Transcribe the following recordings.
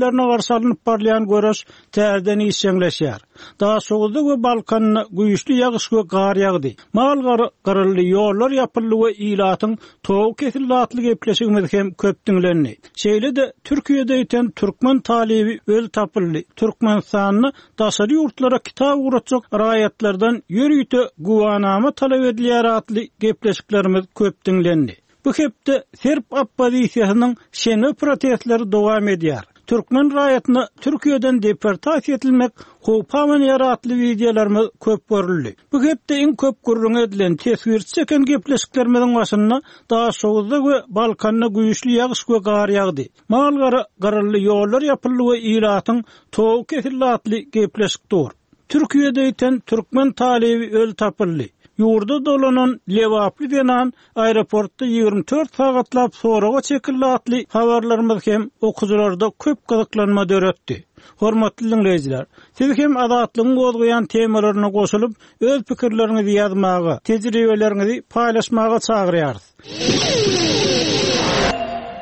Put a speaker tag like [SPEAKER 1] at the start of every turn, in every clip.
[SPEAKER 1] häkimlerine garşy alnyp barylýan göreş täzeden işjeňleşýär. Daşoguzda we Balkanda güýçli ýagyş we gar ýagdy. Mal-gara gyryldy, ýollar ýapyldy we ilatyň togy kesildi atly gepleşigimiz hem köp diňlendi. Şeýle-de, Türkiýede ýiten türkmen talyby öli tapyldy, Türkmenistanda daşary ýurtlara kitap ugratjak raýatlardan ýörite güwanama talap edilýär atly gepleşiklerimiz köp diňlendi. Bu hepde serb oppozisiýasynyň şenbe protestleri dowam edýär. Türkmen raýatyna Türkiýeden deportasiýa edilmek howpy abanýar atly wideolarymyz köp görüldi. Bu hepde iň köp gürrüňi edilen, teswirçi çeken gepleşiklerimiziň başynda Daşoguzda we Balkanda güýçli ýagyş we gar ýagdy. Mal-gara gyryldy, ýollar ýapyldy we ilatyň togy kesildi atly gepleşik dur. Türkiýede ýiten türkmen talyby öli tapyldy. Ýurda dolanan lebaply zenan aeroportda 24 sagatlap soraga çekildi atly habarlarymyz hem okyjylarda köp gyzyklanma döretdi. Hormatly diňleýjiler, siz hem Azatlygyň gozgaýan temalaryna goşulyp, öz pikirleriňizi ýazmaga, tejribeleriňizi paýlaşmaga çagyrýarys.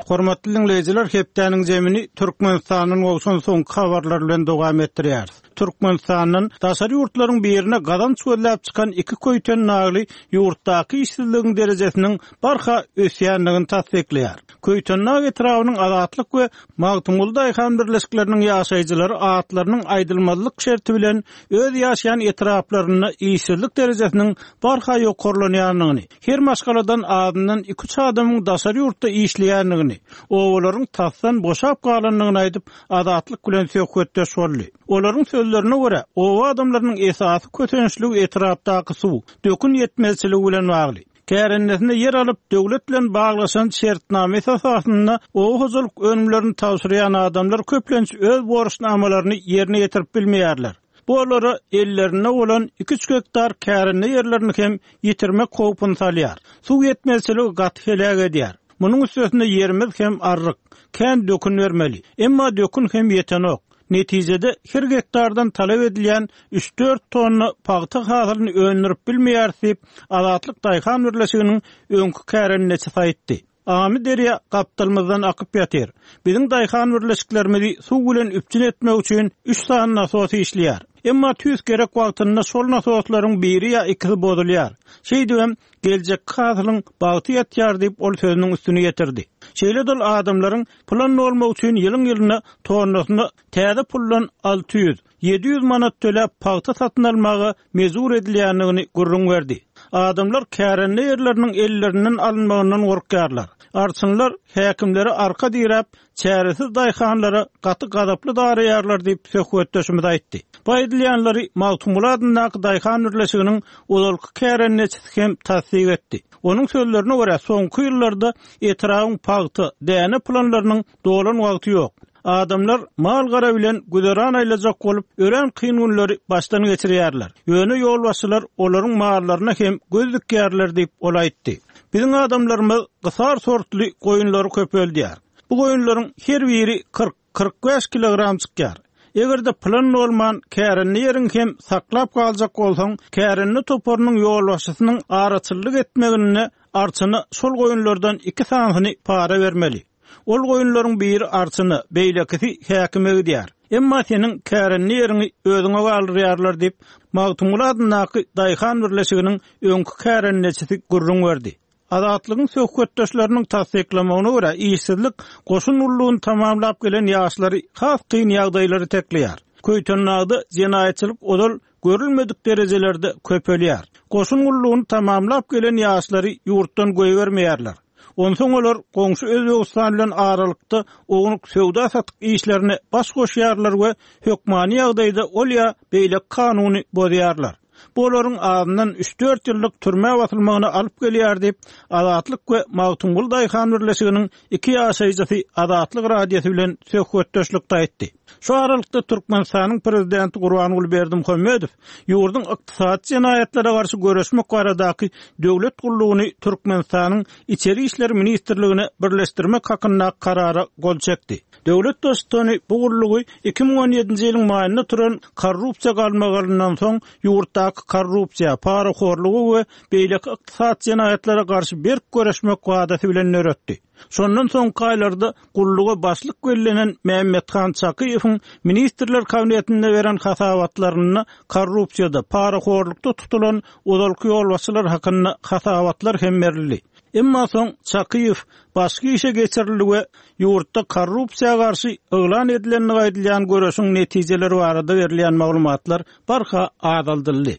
[SPEAKER 1] Hormatly diňleýjiler, hepdäniň jemini Türkmenistandan gowşan soňky habarlar bilen dowam etdirýäris. Türkmenistandan daşary ýurtlaryň birine gazanç gözläp çykan iki köýtenagly ýurtdaky işsizligiň derejesiniň barha ösýändigini tassyklaýar. Köýtendag etrabynyň Azatlyk we Magtymguly daýhan birleşikleriniň ýaşaýjylary atlarynyň aýdylmazlyk şerti bilen öz ýaşaýan etraplarynda işsizlik derejesiniň barha ýokarlanýandygyny, her maşgaladan azyndan iki-üç adamyň daşary ýurtda işleýändigini, obalaryň tasdan boşap galandygyny aýdyp, Azatlyk bilen söhbetdeş boldy. Olaryň sözlerine görä, oba adamlarynyň esasy kösençligi etrapdaky suw, dökün ýetmezçiligi bilen bagly. Kärendesine ýer alyp, döwlet bilen baglaşan şertnama esasynda oba hojalyk önümlerini tabşyrýan adamlar köplenç öz borçnamalaryny ýerine ýetirip bilmeýärler. Bu olara ellerinde bolan iki-üç gektar kärende ýerlerini hem ýitirmek howpuny salýar. Suw ýetmezçiligi gaty heläk edýär. Munuň üstesine ýerimiz hem arryk. Kän dökün bermeli. Emma dökün hem ýetenok. Netijede, her gektardan talap edilýän üç-dört tonna pagta hasylyny öndürip bilmeýäris diýip, Azatlyk daýhan birleşiginiň öňki kärendeçisi aýtdy. Amyderýa gapdalymyzdan akyp ýatyr. Biziň daýhan birleşiklerimizi suw bilen üpjün etmek üçin üç sany nasos işleýär. Emma tüýs gerek wagtynda şol nasoslaryň biri ýa ikisi bozulýar. Şeýdibem, geljekki hasylyň bagty ýatýar diýip, ol sözüniň üstüni ýetirdi. Şeýle-de ol adamlaryň Plan dolmak üçin ýylyň-ýylyna tonnasyna täze puldan 600, 700 manat töläp pagta satyn almaga mejbur edilýändigini gürrüň berdi. Adamlar kärende ýerleriniň ellerinden alynmagyndan gorkýarlar. Arçynlar häkimlere arka diräp, çäresiz daýhanlara gaty gazaply daraýarlar diýip, söhbetdeşimiz aýtdy. Bu aýdylýanlary Magtymguly adyndaky daýhan birleşiginiň ozalky kärendeçisi hem tassyk etdi. Onuň sözlerine görä, soňky ýyllarda etrabyň pagta, däne planlarynyň dolan wagty ýok. Adamlar mal-gara bilen güzeran aýlajak bolup, örän kyn günleri başdan geçirýärler. Ýöne ýolbaşçylar olaryň mallaryna hem göz dikýärler diýip, ol aýtdy. Biziň adamlarymyz gysar sortly goýunlary köpeldýär. Bu goýunlaryň her biri 40, 45 kilogram çykýar. Eger-de plan bolman, kärende ýeriňi hem saklap galjak bolsaň, kärende toparynyň ýolbaşçysynyň araçyllyk etmeginde arçyna şol goýunlardan iki sanysyny para bermeli. Ol goýunlaryň biri arçyna, beýlekisi häkime gidýär. Emma seniň kärende ýeriňi özüňe galdyrýarlar diýip, Magtymguly adyndaky daýhan birleşiginiň öňki kärendeçisi gürrüň berdi. Azatlygyň söhbetdeşleriniň tassyklamagyna görä, işsizlik goşun gullugyny tamamlap gelen ýaşlary has kyn ýagdaýlara itekleýär. Köýtendagda jenaýatçylyk ozal görülmedik derejelerde köpelýär. Goşun gullugyny tamamlap gelen ýaşlary ýurtdan goýbermeýärler. Onsoň olar goňşy Özbegistan bilen aralykda ownuk söwda-satyk işlerine baş goşýarlar we hökmany ýagdaýda ol ýa beýleki kanuny bozýarlar. Bu olaryň azyndan üç-dört ýyllyk türmä basylmagyna alyp gelýär diýip, Azatlyk we Magtymguly daýhan birleşiginiň iki ýaşaýjysy Azatlyk Radiosy bilen söhbetdeşlikde aýtdy. Şu aralykda Türkmenistanyň prezidenti Gurbanguly Berdimuhamedow ýurduň ykdysady jenaýatlara garşy göreşmek baradaky döwlet gullugyny Türkmenistanyň Içeri işler ministrligine birleşdirmek hakyndaky karara gol çekdi. Döwlet Baştutany bu gullugy 2017-nji ýylyň maýynda turan korrupsiýa galmagalyndan soň ýurtdaky. ýurtdaky korrupsiýa, parahorluga we beýleki ykdysady jenaýatlara garşy berk göreşmek wadasy bilen döretdi. Şondan soňky aýlarda gulluga başlyk bellenen Mämmethan Çakyýewiň Ministrler Kabinetinde beren hasabatlarynda korrupsiýada, parahorlukda tutulan ozalky ýolbaşçylar hakynda hasabatlar hem berildi. Emma soň Çakyýew başga işe geçirildi we ýurtda korrupsiýa garşy yglan edilendigi aýdylýan göreşiň netijeleri barada berilýän maglumatlar barha azaldyldy.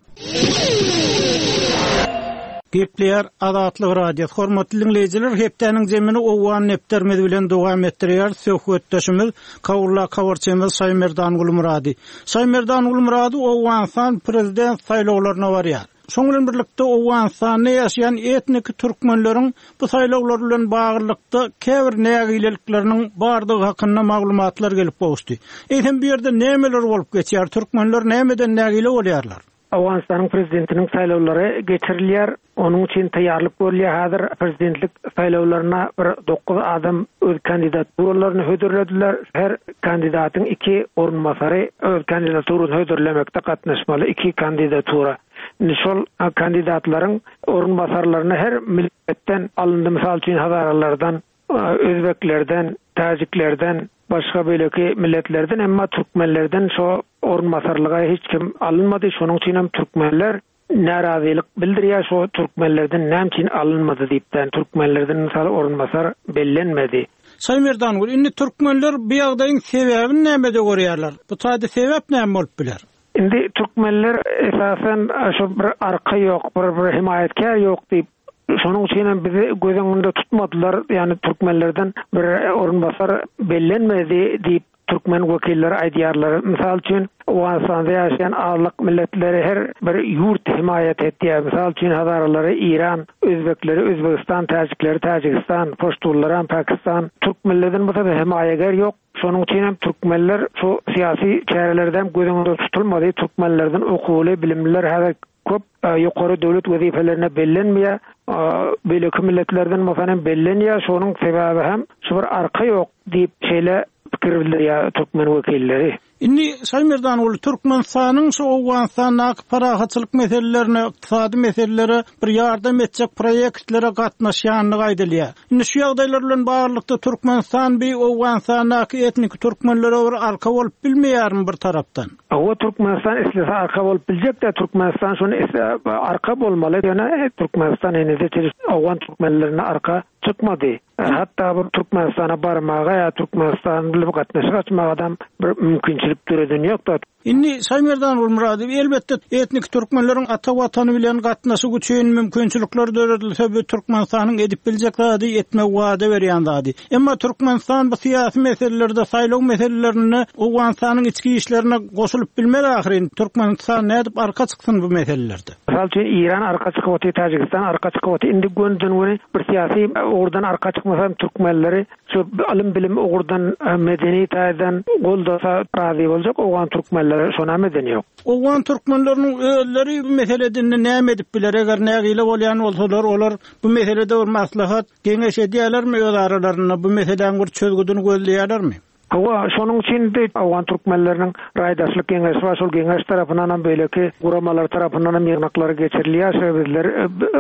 [SPEAKER 1] Gepleýär Azatlyk Radiosy. Hormatly diňleýjiler, hepdäniň zemini Owgan depderimiz bilen dowam etdirýäris. Söhbetdeşimiz Kabuldaky habarçymyz Şaýmerdan Gulmyrady. Şaýmerdan Gulmyrady Owganystan prezident saýlawlaryna barýar. Şonuň bilen birlikde, Owganystanda ýaşaýan etniki türkmenleriň bu saýlawlar bilen baglylykda käbir nägilelikleriniň bardygy hakynda maglumatlar gelip gowuşdy. Eýsem, bu ýerde nämeler bolup geçýär, türkmenler nämeden nägile bolýarlar?
[SPEAKER 2] Owganystanyň prezidentiniň saýlawlary geçirilýär. Onuň üçin taýýarlyk görülýär. Häzir prezidentlik saýlawlaryna bir dokuz adam öz kandidaturalaryny hödürlediler. Her kandidatyň iki orunbasary öz kandidaturasyny hödürlemekde gatnaşmaly, iki kandidatura. Indi şol kandidatlaryň orunbasarlaryna her milletden alyndy, mysal üçin, hazaralardan, özbeklerden, täjiklerden, başga beýleki milletlerden, emma türkmenlerden şo orunbasarlyga hiç kim alynmady. Şonuň üçin hem türkmenler närazylyk bildirýär şo türkmenlerden näme üçin alynmady diýipden türkmenlerden mysal orunbasar bellenmedi.
[SPEAKER 1] Şaýmerdangül, indi türkmenler bu ýagdaýyň sebäbini nämede görýärler? Bu taýda sebäp näme bolup biler?
[SPEAKER 2] Indi türkmenler esasan şo bir arka ýok, bir bir hemaýatkär ýok diýip, şonuň üçin hem bizi göz öňünde tutmadylar, ýagny türkmenlerden bir orunbasar bellenmedi diýip Türkmen wekilleri aýdýarlar. Mysal üçin, Owganystanda ýaşaýan azlyk milletleri her bir ýurt hemaýat etýär. Mysal üçin, hazaralary Eýran, özbekleri Özbegistan, täjikleri Täjigistan, poştunlaram Pakistan. Türk milledin bolsa hemaýager ýok. Şonuň üçin hem türkmenler şu syýasy çärelerde hem göz öňünde tutulmady. Türkmenlerden okuwly, bilimliler häzir köp ýokary döwlet wezipelerine bellenmeýär. Beýleki milletlerden bolsa hem bellenýär. Şonuň sebäbi hem şu bir arka ýok diýip şeýle pikir bildirýär türkmen wekilleri.
[SPEAKER 1] Indi Şaýmerdanguly, Türkmenistanyň şu Owganystandaky parahatçylyk meselelerine, ykdysady meselelere bir ýardam etjek proýektlere gatnaşýandygy aýdylýar. Indi şu ýagdaýlar bilen baglylykda Türkmenistan bi Owganystandaky etniki türkmenlere bir arka bolup bilmeýärmi bir tarapdan?
[SPEAKER 2] Hawa Türkmenistan islese arka bolup biljekdä Türkmenistan şony arka bolmaly ýöne Türkmenistan henize çenli owgan türkmenlerine arka çykmady. Hatda bir Türkmenistana barmaga ýa Türkmenistan bilen gatnaşyk açmagadam bir mümkinçilik döreden ýokda.
[SPEAKER 1] Indi Şaýmerdan Gulmyradow elbetde etniki türkmenleriň ata watany bilen gatnaşyk üçin mümkinçilikler döredilse bu Türkmenistanyň edip biljek zady etmegi wada berýän zady. Emma Türkmenistan bu syýasy meselelerde saýlaw meselelerinde Owganystanyň içki işlerine goşulyp bilmez ahyryn. Türkmenistan nädip arka çyksyn bu meselelerde?
[SPEAKER 2] Mysal üçin Eýran arka çykyp otyr, Täjigistan arka çykyp otyr. Indi gönüden-göni bir syýasy ugurdan arka çykmasa hem türkmenleri şu ylym-bilim ugurdan, medeni taýdan goldasa razy boljak owgan türkmenleri şonam eden ýok.
[SPEAKER 1] Owgan türkmenleriniň özleri bu meselede indi näme edip biler? Eger nägile bolýan bolsalar olar bu meselede bir maslahat, geňeş edýärlermi öz aralarynda bu meseläň bir çözgüdini gözleýärlermi?
[SPEAKER 2] Hawa, şonuň üçin-de owgan türkmenleriniň raýdaşlyk geňeşi bar, şol geňeş tarapyndanam, beýleki guramalar tarapyndanam ýygnaklar geçirilýär. Şo bizler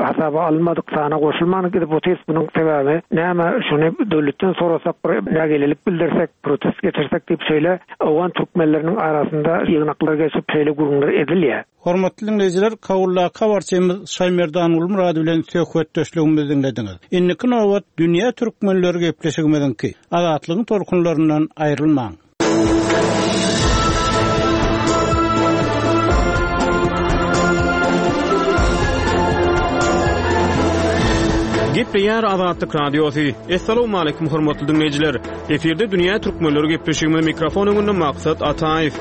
[SPEAKER 2] hasaba alynmadyk, sana goşulman gidip otyrys. Munuň sebäbi näme? Şuny döwletden sorasak, bir nägilelik bildirsek, protest geçirsek diýip, şeýle owgan türkmenleriniň arasynda ýygnaklar geçip, şeýle gürrüňler edilýär.
[SPEAKER 1] Hormatly diňleýjiler, Kabuldaky habarçymyz Şaýmerdan Gulmyrady bilen söhbetdeşligimizi diňlediňiz. Indiki nobat Dünýä türkmenleri gepleşigimiziňki. Azatlygyň tolkunlaryndan aýrylmaň!
[SPEAKER 3] Gepleýär Azatlyk Radiosy. Essalawmaleýkum hormatly diňleýjiler! Efirde Dünýä Türkmenleri gepleşigimiz mikrofon öňünde Maksat Ataýew.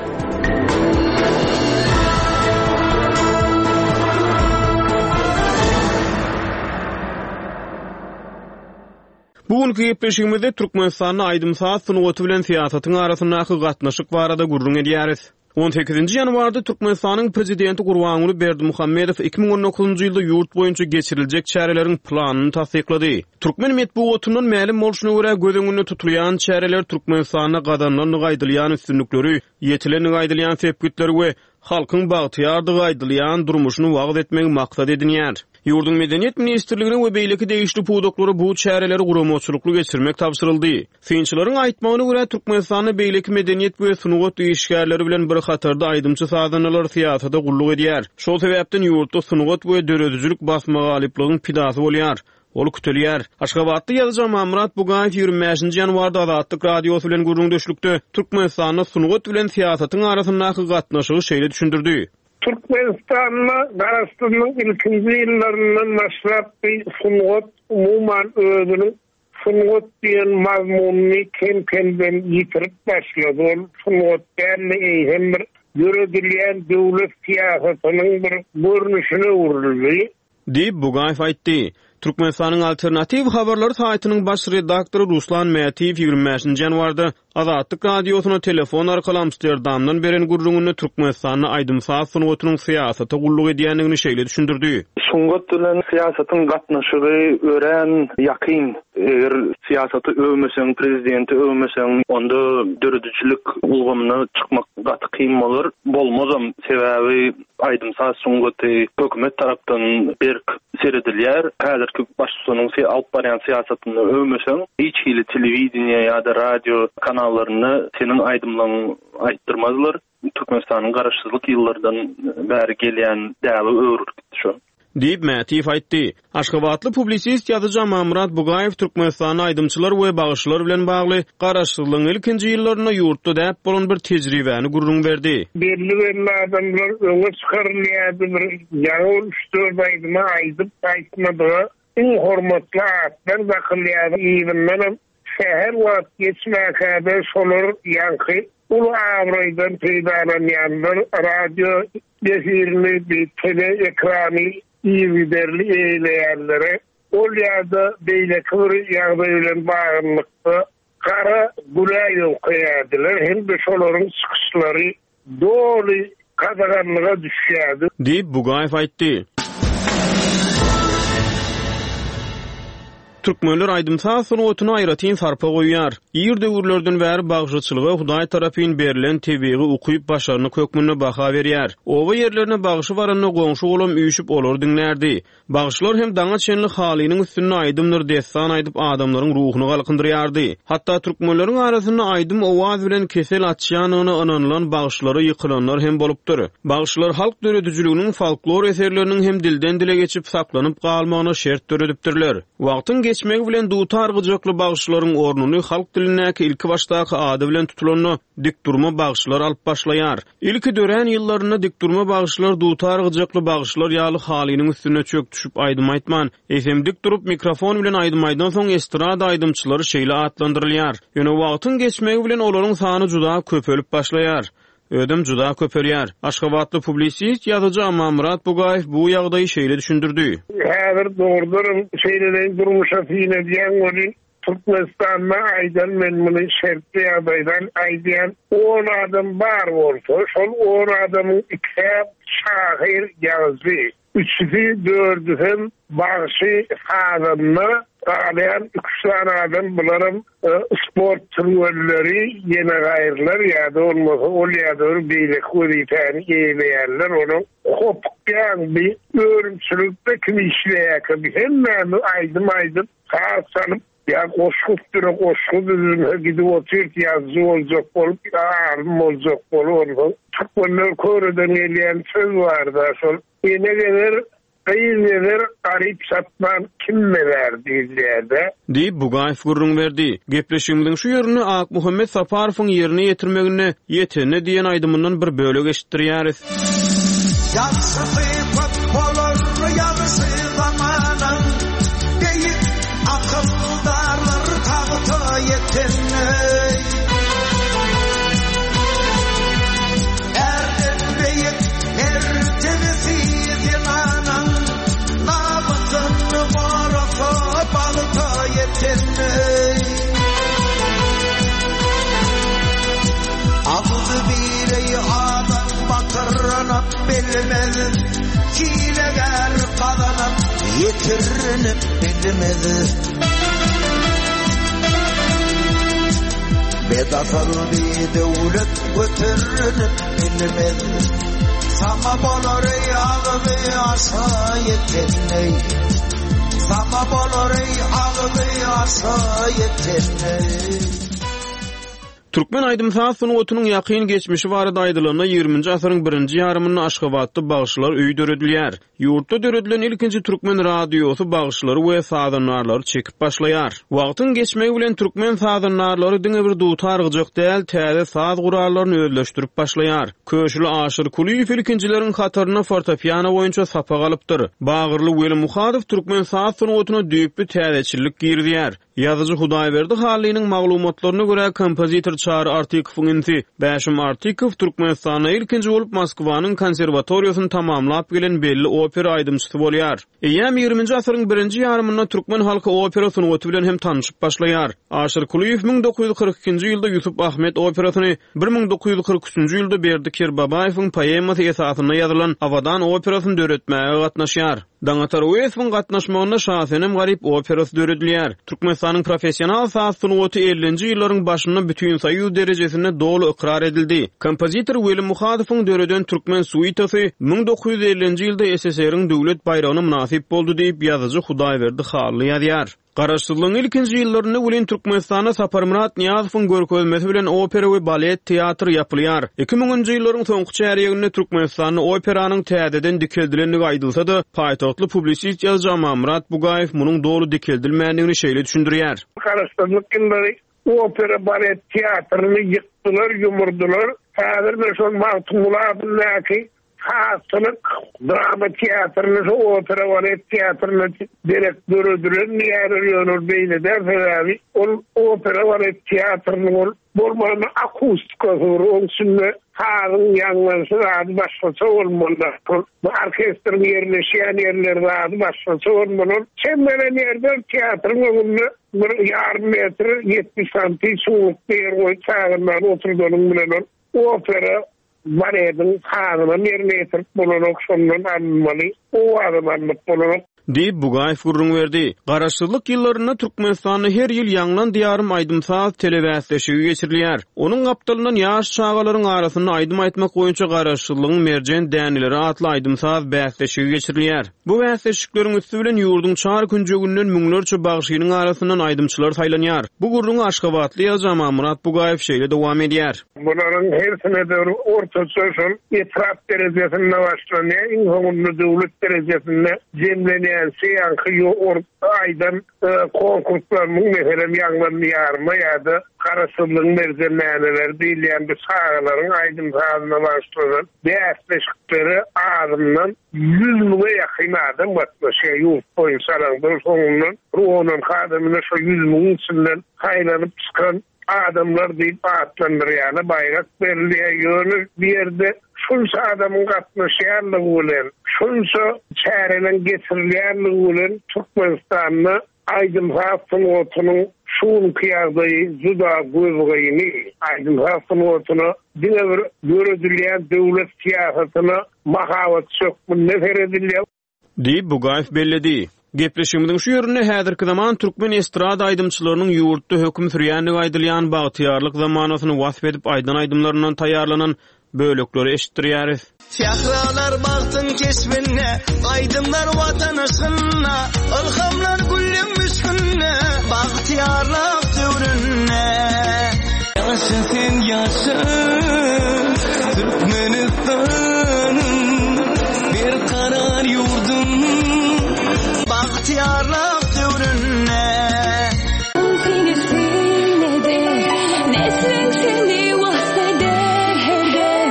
[SPEAKER 3] Bu günki gepleşigimizde Türkmenistanda aýdym-saz sungaty bilen syýasatyň arasyndaky gatnaşyk barada gürrüň edýäris. On sekizinji ýanwarda Türkmenistanyň Prezidenti Gurbanguly Berdimuhamedow 2019-njy ýylda ýurt boýunça geçiriljek çäreleriň planyny tassyklady. Türkmen metbugatyndan mälim bolşuna görä, göz öňünde tutulýan çäreler Türkmenistanda gazanylandygy aýdylýan üstünlikleri, ýetilendigi aýdylýan sepgitleri we. Halkyň bagtyýardygy aýdylýan durmuşyny wagyz etmegi maksat edinýär. Ýurduň Medeniýet ministrligine we beýleki degişli pudaklara bu çäreleri guramaçylykly geçirmek tabşyryldy. Synçylaryň aýtmagyna görä, Türkmenistanda beýleki medeniýet we sungat işgärleri bilen bir hatarda aýdymçy-sazandalar syýasata gulluk edýär. Şol sebäpden ýurtda sungat we döredijilik basmagalyplygyň pidasy bolýar. Ol kütelýär. Aşgabatly ýazyjy Amanmyrat Bugaýew 25 nji ýanwarda Azatlyk Radiosy bilen gürrüňdeşlikde Türkmenistanda sungat bilen syýasatyň arasyndaky gatnaşygy şeýle düşündirdi.
[SPEAKER 4] Türkmenistanda Garaşsyzlygyň ilkinji ýyllaryndan başlap bi sungat umuman özüniň sungat diýen mazmunyny kem-kemden ýitirip başlady. Ol sungat däl-de eýsem bir döredilýän döwlet syýasatynyň bir görnüşine öwrüldi.
[SPEAKER 3] Diýip, Bugaýew aýtdy. Türkmenistanyň Alternatiw habarlary saýtynyň baş redaktory Ruslan Mätiýew 25 nji ýanwarda Azatlyk Radiosyna telefon arkaly Amsterdamdan beren gürrüňinde Türkmenistanda aýdym-saz sungatynyň syýasata gulluk edýändigini şeýle düşündirdi.
[SPEAKER 5] Sungat bilen syýasatyň gatnaşygy örän ýakyn. Eger syýasaty öwmeseň, prezidenti öwmeseň, onda döredijilik ulgamyna çykmak gaty kyn bolar. Bolmazam, sebäbi Aýdym-saz sungaty hökümet tarapdan berk seredilýär. Häzirki baştutanyň alyp barýan syýasatyny öwmeseň, hiç hili telewideniýe ýa-da radio kanallarynda seniň aýdymlaryňy aýtdyrmazlar. Türkmenistanyň garaşsyzlyk ýyllardan bäri gelýän däbe öwrülip gitdi şo.
[SPEAKER 3] Diýip, Mätiýew aýtdy. Aşgabatly publisist ýazyjy Amanmyrat Bugaýew Türkmenistanda aýdymçylar we bagşylar bilen bagly garaşsyzlygyň ilkinji ýyllarynda ýurtda däp bolan bir tejribäni gürrüň berdi.
[SPEAKER 4] Belli-belli adamlar öňe çykarylýardy, bir ýaňy ol üç-dört aýdymy aýdyp, aýtmadyga iň hormatly atlar dakylýardy, yzyndanam Sähel wagt geçmäkä-de şolar ýaňky uly abraýdan peýdalanýanlar radio efirini, bi tele ekrany yzygiderli eýeleýänlere ol ýa-da beýleki bir ýagdaý bilen baglylykda gara güle ýöňkeýärdiler hem-de şolaryň çykyşlary doly gadaganlyga düşýärdi.
[SPEAKER 3] Diýip, Bugaýew aýtdy. Türkmenler aýdym-saz sungatyna aýratyn sarpa goýýar. Ir döwürlerden bäri bagşyçylyga Hudaý tarapyn berlen tebigy ukyp-başarnyk hökmünde baha berýär. Oba ýerlerine bagşy baranda goňşy-golam üýşüp olary diňlärdi. Bagşylar hem daňa çenli halynyň üstünde aýdymdyr dessan aýdyp adamlaryň ruhuny galkyndyrýardy. Hatda türkmenleriň arasynda aýdym-owaz bilen kesel açýandygyna ynanylan bagşylara ýykylanlar hem bolupdyr. Bagşylar halk döredijiliginiň folklor eserleriniň hem dilden-dile geçip saklanyp galmagyna şert döredipdirler. Wagtyň geçmegi bilen dutar gyjakly bagşylaryň ornuny halk dilindäki ilkibaşdaky ady bilen tutulanda dikdurma bagşylar alyp başlaýar. Ilki dörän ýyllarynda dikdurma bagşylar dutar gyjakly bagşylar ýaly halynyň üstünde çök düşüp aýdym aýtman, eýsem dik durup mikrofon bilen aýdym aýdansoň estrada aýdymçylary şeýle atlandyrylýar. Ýöne wagtyň geçmegi bilen olaryň sany juda köpelip başlaýar. Özem juda köpelýär. Aşgabatly publisist, ýazyjy Amanmyrat Bugaýew bu ýagdaýy şeýle düşündirdi.
[SPEAKER 4] Häzir dogrudanam şeýleleýin durmuşa syn edýäň welin, Türkmenistanda aýdan men muny şertli ýagdaýdan aýdýan, on adam bar bolsa, şol on adamyň ikisä şahyr, ýazyjy, üçüsi, dördüsem bagşy, sazanda, galýan iki-üç sany adam bularam sport türgenleri, ýene gaýrylar ýa-da bolmasa ol ýa-da bir beýleki wezipäni eýeleýänler, onuň hopukýaň bi önümçilikde kim işleýärkä bi hemmämiz aýdym aýdyp, Saz çalyp, ýa goşgy üstüne goşgy düzülse gidip otyrys ýazyjy boljak bolup, ýa alym boljak bolup onsoň türkmenler köreden gelýän söz barda şol ene gezer, gyz gezer, garyp çatman kim bezär diýilýärde.
[SPEAKER 3] Diýip, Bugaýew gürrüň berdi. Gepleşigimiziň şu ýerinde Akmuhammet Saparowyň ýerine ýetirmeginde Ýetende diýen aýdymyndan bir bölek eşitdirýäris.
[SPEAKER 6] Ýagşysy köp bolar ýagşy zamanaň, Beýik akyldarlar tagta ýetende. Ärden beýik mertebesi zenanaň, Namysyn gorasa bagta ýetende. Agzybirei adam batyranyp bilmez, Hilegär gazanyp ýetirinip bilmez. Bedasyl bidöwlet göternip bilmez. Saňa bolar eý agzy aşa ýeten eý. Saňa bolar eý agzy aşa ýeten eý.
[SPEAKER 3] Türkmen aýdym-saz sungatynyň ýakyn geçmişi barada aýdylanda, ýigriminji asyryň birinji ýarymynda Aşgabatda bagşylar öýi döredilýär. Ýurtda döredilen ilkinji türkmen radiosy bagşylary we sazandarlary çekip başlaýar. Wagtyň geçmegi bilen türkmen sazandarlary diňe bir dutar-gyjak däl, täze saz gurallaryny özleşdirip başlaýar. Köşüli Aşyr Kulyýew ilkinjileriň hatarynda fortepiano boýunça sapak alypdyr. Bagyrly Weli Muhadow türkmen saz sungatyna düýpli täzeçillik girizýär. Ýazyjy Hudaýberdi Hallynyň maglumatlaryna görä, kompozitor Çary Artykowyň inisi Bäşim Artykow Türkmenistanda ilkinji bolup Moskwanyň konserwatoriýasyny tamamlap gelen belli opera aýdymçysy bolýar. Eýýäm ýigriminji asyryň birinji ýarymynda türkmen halky opera sungaty bilen hem tanşyp başlaýar. Aşyr Kulyýew 1942-nji ýylda Ýusup-Ahmet operasyny, 1943-nji ýylda Berdi Kerbabaýewiň poemasy esasynda ýazylan Abadan operasyny döretmäge gatnaşýar. Daňatar Öwezowyň gatnaşmagynda Şasenem-Garyp operasy döredilýär. Türkmenistanyň professional saz sungaty ellinji ýyllaryň başynda bütinsoýuz derejesinde doly ykrar edildi. Kompozitor Weli Muhadowyň döreden Türkmen suitasy 1950-nji ýylda SSR-iň Döwlet baýragyna mynasyp boldy diýip, ýazyjy Hudaýberdi Hally ýazýar. Garaşsyzlygyň ilkinji ýyllarynda welin Türkmenistanda Saparmyrat Nyýazowyň görkezmesi bilen opera we balet teatry ýapylýar. Iki müňünji ýyllaryň soňky çärýeginde Türkmenistanda operanyň täzeden dikeldilendigi aýdylsa-da, paýtagtly publisist ýazyjy Amanmyrat Bugaýew munuň doly dikeldilmändigini şeýle düşündirýär.
[SPEAKER 4] Garaşsyzlyk ýyllary opera balet teatryny ýykdylar, ýumurdylar. Häzir-de şol Magtymguly adyndaky Sazçylyk drama teatryny şu opera balet teatryna derek döredilen diýýärler ýöne ol beýle däl sebäbi ol opera balet teatrynyň ol bolmanda akustikasy bir oň içinde sazyň ýaňlanyşy zady başgaça bolmaly ol bu orkestriň ýerleşýän ýerleri zady başgaça bolmaly ol çemmelen ýerde teatryň öňünde bir ýarym metr 70 santi çuňlukda ýer goýup sazandany oturdanyň bilen ol opera Balediň sazynam ýerine ýetirip bolanok, şondan alynmaly owazam alnyp bolanok.
[SPEAKER 3] Diýip, Bugaýew gürrüň berdi. Garaşsyzlyk ýyllarynda Türkmenistanda her ýyl Ýaňlan Diýarym aýdym-saz telebäsleşigi geçirilýär. Onuň gapdalyndan ýaş çagalaryň arasynda aýdym aýtmak boýunça Garaşsyzlygyň merjen däneleri atly aýdym-saz bäsleşigi geçirilýär. Bu bäsleşikleriň üsti bilen ýurduň çar künjeginden müňlerçe bagşynyň arasyndan aýdymçylar saýlanýar. Bu gürrüňi aşgabatly ýazyjy Amanmyrat Bugaýew şeýle dowam edýär.
[SPEAKER 4] Bularyň hersine-de bir ortaça şol etrap derejesinde başlanýar, iň soňunda döwlet derejesinde jemlenýänçä ýaňky aýdan konkurslarymyň, meselem, Ýaňlan Diýaryma ýa-da Garaşsyzlygyň merjen däneleri diýilýän bu çagalaryň aýdym-sazyna bagyşlanan bäsleşiklere azyndan 100 müňe ýakyn adam gatnaşýar ýurt boýunça alaňda, soňundan bir on-onki adamyna şo 100 müňüň içinden saýlanyp çykan adamlar diýip atlandyrýana baýrak berilýär. Ýöne bu ýerde şunça adamyň gatnaşýanlygy bilen, şunça çäreleriň geçirilýänligi bilen Türkmenistanda aýdym-saz sungatynyň şu günki ýagdaýy juda gözgyny. Aýdym-saz sungatyna diňe bir döredilýän döwlet syýasatyna mahabatçy hökmünde seredilýär.
[SPEAKER 3] Diýip, Bugaýew belledi. Gepleşigimiziň şu ýerinde häzirki zaman türkmen estrada aýdymçylarynyň ýurtda höküm sürýändigi aýdylýan bagtyýarlyk zamanasyny wasp edip aýdan aýdymlaryndan taýýarlanan bölekleri eşitdirýäris.
[SPEAKER 6] Sähralar bagtyň keşbinde, Aýdymlar Watan yşgynda, Ylhamlar gülleň müşkünde, Bagtyýarlyk döwründe. Ýaşa sen ýaşa Türkmenistanym Berkarar ýurdum Bagtyýarlyk döwründe.
[SPEAKER 7] Seni syn eder, nesliň seni wasp eder her dem.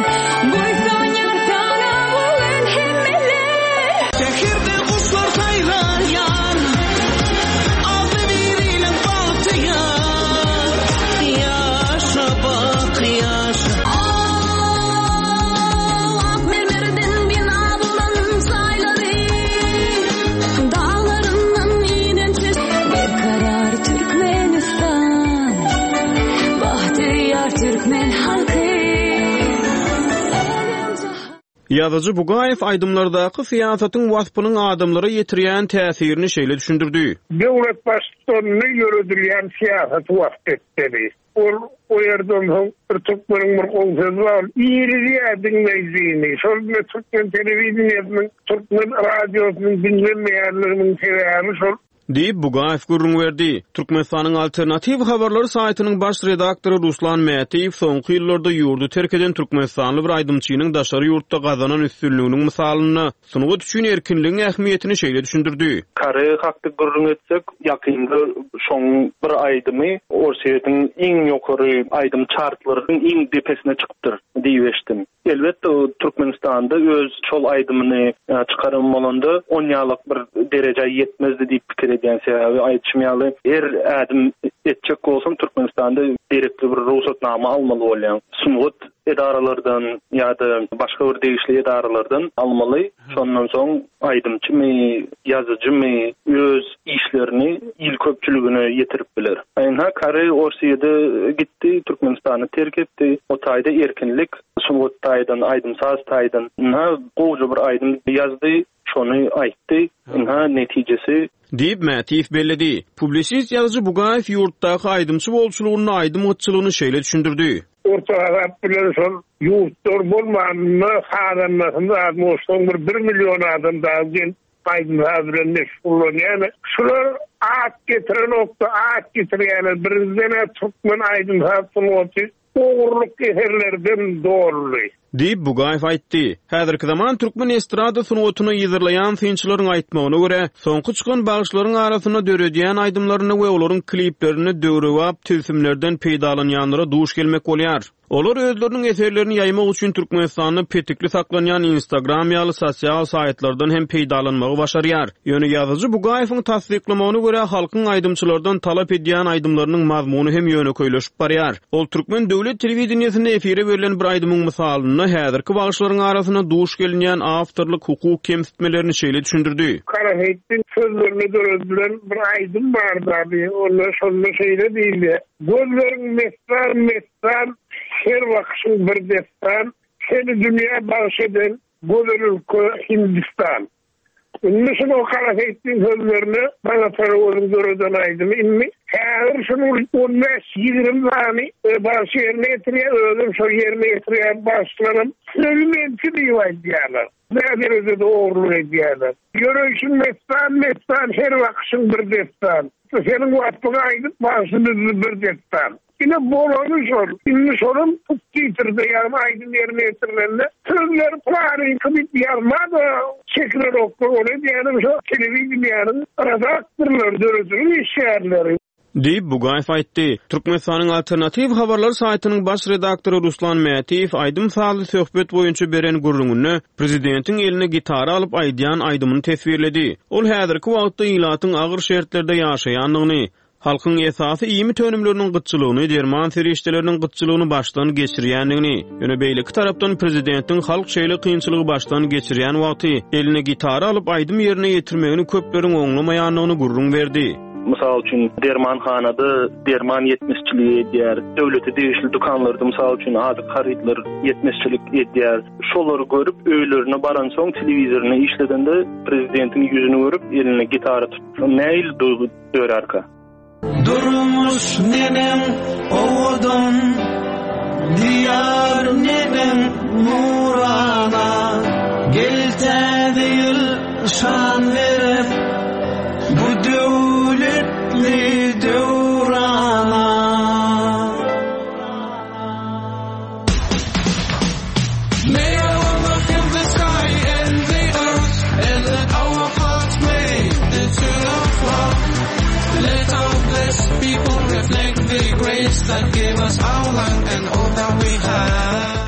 [SPEAKER 7] Buýsanýar saňa bu gün hemmeler.
[SPEAKER 6] Säherde guşlar saýraýar, Agzybirlik bagtyýar. Ýaşa baky ýaşa.
[SPEAKER 7] Ak mermerden bina bolan jaýlary, Daglaryndan inen çeşme. Berkarar Türkmenistan, Bagtyýar türkmen halky.
[SPEAKER 3] Ýazyjy Bugaýew aýdymlardaky syýasatyň waspynyň adamlara ýetirýän täsirini şeýle düşündirdi.
[SPEAKER 4] Döwlet Baştutanyny ýöredilýän syýasaty wasp etmeli. Ol o ýerde onsoň bir türkmeniň bir gowy sözi bar, irizýär diňleýjini. Şol ine türkmen telewideniýesiniň, türkmen radiosynyň diňlenmeýänliginiň sebäbi şol.
[SPEAKER 3] Diýip, Bugaýew gürrüň berdi. Türkmenistanyň Alternatiw habarlary saýtynyň baş redaktory Ruslan Mätiýew soňky ýyllarda ýurdy terk eden türkmenistanly bir aýdymçynyň daşary ýurtda gazanan üstünliginiň mysalynda Sungat üçin erkinligiň ähmiýetini şeýle düşündirdi.
[SPEAKER 5] Koreýa hakda gürrüň etsek, ýakynda şoň bir aýdymy Orsýetiň iň ýokary aýdym çartlarynyň iň depesine çykypdyr diýip eşitdim. Elbetde, Türkmenistanda öz şol aýdymyny çykaran bolanda onýalak bir derejä ýetmezdi diýip pikir edýän. Sebäbi aýdyşym ýaly, her ädim etjek bolsaň Türkmenistanda gerekli bir rugsatnama almaly bolýaň. Sungat edaralardan ýa-da başga bir degişli edaralardan almaly. Şondan soň aýdymçymy, ýazyjymy öz işlerini il köpçüligine ýetirip biler. Ynha, Koreý Orsýede gitdi, Türkmenistany terk etdi. O taýda erkinlik, sungat taýdan, aýdym-saz taýdan. Ynha, gowuja bir aýdym ýazdy. Şony aýtdy. Ynha, netijesi.
[SPEAKER 3] Diýip, Mätiýew belledi. Publisist ýazyjy Bugaýew ýurtdaky aýdymçy bolçulygynda aýdym gytçylygyny şeýle düşündirdi.
[SPEAKER 4] Orta hasap bilen şol ýurtlar bolmanynda sazandasyny zat goşsaň bir bir million adam dagy gelip aýdym-saz bilen meşgullanýar. Şular at getirenokda at getirýärler. Birinjiden-ä türkmen aýdym-saz sungaty Ogurlyk eserlerden doldy.
[SPEAKER 3] Diýip, Bugaýew aýtdy. Häzirki zaman türkmen estrada sungatyny yzarlaýan synçylaryň aýtmagyna görä, soňky çykan bagşylaryň arasynda döredýän aýdymlarynda we olaryň kliplerinde döwrebap tilsimlerden peýdalanýanlara duş gelmek bolýar. Olar özleriniň eserlerini ýaýmak üçin Türkmenistanda petikli saklanýan Instagram ýaly sosial saýtlardan hem peýdalanmagy başarýar. Ýöne ýazyjy Bugaýewiň tassyklamagyna görä, halkyň aýdymçylardan talap edýän aýdymlarynyň mazmuny hem ýönekeýleşip barýar. Ol türkmen döwlet telewideniýesinde efire berlen bir aýdymyň mysalynda häzirki bagşylaryň arasynda duş gelinýän awtorlyk hukuk kemsitmelerini şeýle düşündirdi.
[SPEAKER 4] Gara Seýitdiň sözlerine döredilen bir aýdym bardy, onda şonda şeýle diýilýär, Gözleriň messan-messan, her bakyşyň bir dessan, Seni dünýä bagş eden gözel ülke Hindistan. Indi şunuň Gara Seýitliň sözlerine Daňatar Öweziň döreden aýdymy indi häzir şunuň on bäş-ýigrimi sany bagşy ýerine ýetirýär, özem şol ýerine ýetirýän bagşylaram sözi meňki diýip aýdýarlar. Nä derejede ogurlyk edýärler. Ýöreýşiň messan-messan, her bakyşyň bir dessan. Seniň waspyňy aýdyp bagşy düzdi bir dessan. Ine bolany şol. Indi şolam subtitrde ýagny aýdym ýerine ýetirilende sözleri pylanyňky diýip ýazma-da çekilenoklar ony edýänem şo telewideniýäniň redaktorlary döredijilik işgärleri.
[SPEAKER 3] Diýip, Bugaýew aýtdy. Türkmenistanyň Alternatiw habarlar saýtynyň baş redaktory Ruslan Mätiýew aýdym-sazly söhbet boýunça beren gürrüňinde prezidentiň eline gitara alyp aýdýan aýdymyny teswirledi. Ol häzirki wagtda ilatyň agyr şertlerde ýaşaýandygyny, Halkyň esasy iýmit önümleriniň gytçylygyny, derman serişdeleriniň gytçylygyny başdan geçirýändigini, ýöne beýleki tarapdan prezidentiň halk şeýle kynçylygy başdan geçirýän wagty eline gitara alyp aýdym ýerine ýetirmegini köpleriň oňlamaýandygyny gürrüň berdi.
[SPEAKER 5] Mysal üçin, dermanhanada derman ýetmezçiligi edýär, döwlete degişli dükanlarda, mysal üçin, azyk harytlar ýetmezçilik edýär. Şolary görüp, öýlerine baransoň telewizoryny işledende prezidentiň ýüzüni görüp, eline gitara tutup, nähili duýgy dörärka?
[SPEAKER 6] Durmuş neneň owadan, Diýar neneň nurana, Gel täze ýyl şan berip, Bu döwletli döwrana. May our look in the sky and the earth And let our hearts play the tune of love Let our blessed people reflect the grace That gave us our land and all that we have.